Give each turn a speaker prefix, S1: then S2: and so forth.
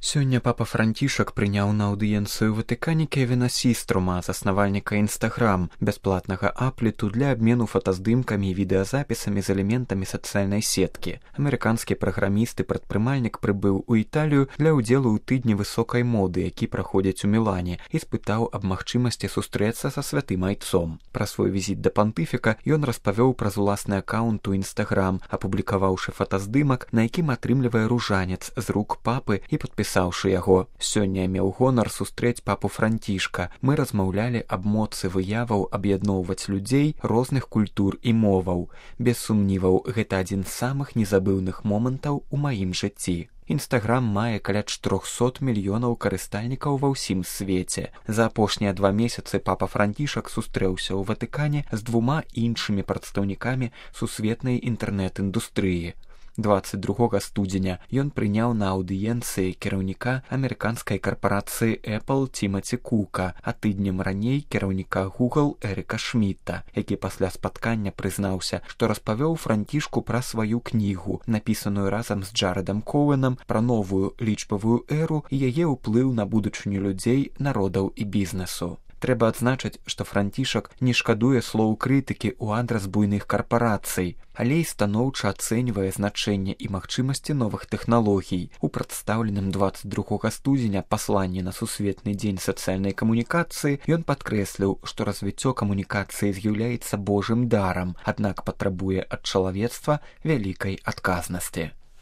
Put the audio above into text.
S1: Сёння папа Францішак прыняў на аўдыенцыю ў Ватыкане Кевіна Сіструма, заснавальніка Інстаграм, бясплатнага аплету для абмену фотаздымкамі і відэазапісамі з элементамі сацыяльнай сеткі. Амерыканскі праграміст і прадпрымальнік прыбыў у Італію для ўдзелу ў тыдні высокай моды, які праходзіць у Мілане, і спытаў аб магчымасці сустрэцца са святым айцом. Пра свой візіт да пантыфіка ён распавёў праз уласны акаунт у Інстаграм, апублікаваўшы фотаздымак, на якім атрымлівае ружанец з рук папы і падпісаўшы яго. Сёння меў гонар сустрэць папу Францішка. Мы размаўлялі аб моцы выяваў аб'ядноўваць людзей розных культур і моваў. Без сумніваў, гэта адзін з самых незабыўных момантаў у маім жыцці. Інстаграм мае каля 400 мільёнаў карыстальнікаў ва ўсім свеце. За апошнія 2 месяцы папа Францішак сустрэўся ў Ватыкане з 2 іншымі прадстаўнікамі сусветнай інтэрнэт-індустрыі. 22 студзеня ён прыняў на аўдыенцыі кіраўніка амерыканскай карпарацыі Apple Тимаці Кука, а тыднем раней кіраўніка Google Эріка Шмідта, які пасля спаткання прызнаўся, што распавёў Францішку пра сваю кнігу, напісаную разам з Джарэдам Коуэнам, пра новую лічбавую эру і яе ўплыў на будучыню людзей, народаў і бізнесу. Трэба адзначыць, што Францішак не шкадуе слоў крытыкі ў адрас буйных карпарацый, але і станоўча ацэньвае значэнне і магчымасці новых тэхналогій. У прадстаўленым 22 студзеня пасланні на сусветны дзень сацыяльнай камунікацыі ён падкрэсліў, што развіццё камунікацыі з'яўляецца божым дарам, аднак патрабуе ад чалавецтва вялікай адказнасці.